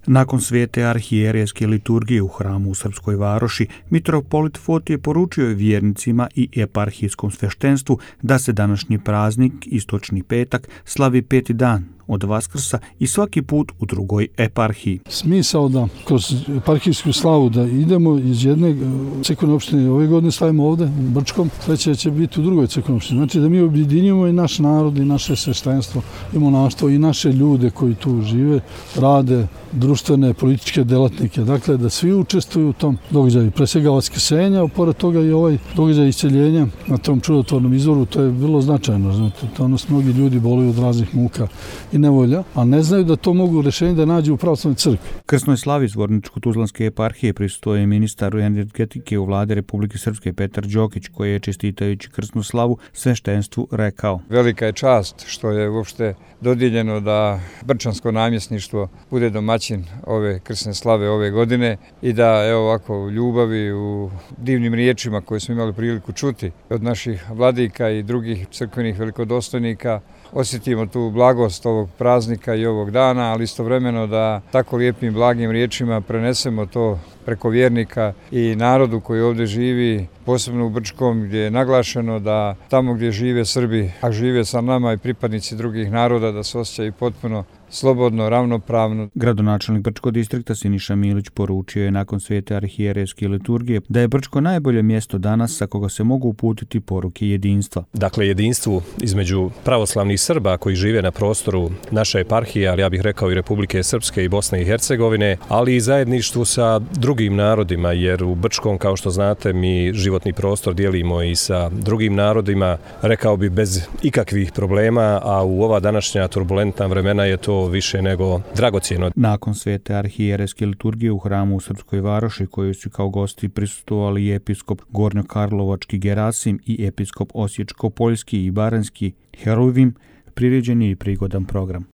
Nakon svete arhijerejske liturgije u hramu u Srpskoj Varoši, mitropolit Fotije poručio je vjernicima i eparhijskom sveštenstvu da se današnji praznik, istočni petak, slavi 5. dan od Vaskrsa i svaki put u drugoj eparhiji. Smisao da kroz eparhijsku slavu da idemo iz jedne crkvene opštine, ove godine stavimo ovde u Brčkom, sledeće će biti u drugoj crkvenoj opštini. Znači da mi objedinjujemo i naš narod i naše sveštenstvo i monaštvo i naše ljude koji tu žive, rade, društvene, političke delatnike. Dakle, da svi učestvuju u tom događaju. Pre svega vaskrsenja, a pored toga i ovaj događaj isceljenja na tom čudotvornom izvoru, to je vrlo značajno. Znate, to mnogi ljudi boluju od raznih muka i nevolja, a ne znaju da to mogu rešenje da nađu u pravoslavnoj crkvi. Krsnoj slavi Zvorničko-Tuzlanske eparhije prisustvovao je ministar energetike u vlade Republike Srpske Petar Đokić, koji je čestitajući krsnu slavu sveštenstvu rekao: Velika je čast što je uopšte dodijeljeno da brčansko namjesništvo bude domaćin ove krsne slave ove godine i da evo ovako u ljubavi, u divnim riječima koje smo imali priliku čuti od naših vladika i drugih crkvenih velikodostojnika osjetimo tu blagost ovog praznika i ovog dana, ali istovremeno da tako lijepim blagim riječima prenesemo to preko vjernika i narodu koji ovdje živi, posebno u Brčkom, gdje je naglašeno da tamo gdje žive Srbi, a žive sa nama i pripadnici drugih naroda, da se osjećaju potpuno slobodno, ravnopravno. Gradonačelnik Brčkog distrikta Siniša Milić poručio je nakon svete arhijerejske liturgije da je Brčko najbolje mjesto danas sa koga se mogu uputiti poruke jedinstva. Dakle, jedinstvu između pravoslavnih Srba koji žive na prostoru naše eparhije, ali ja bih rekao i Republike Srpske i Bosne i Hercegovine, ali i zajedništvu sa drugim narodima, jer u Brčkom, kao što znate, mi životni prostor dijelimo i sa drugim narodima, rekao bi bez ikakvih problema, a u ova današnja turbulentna vremena je to više nego dragocjeno. Nakon svete arhijerejske liturgije u hramu u Srpskoj Varoši, koju su kao gosti prisustvovali i episkop Gornjokarlovački Gerasim i episkop Osječko-Poljski i Baranjski Heruvim, priređen je i prigodan program.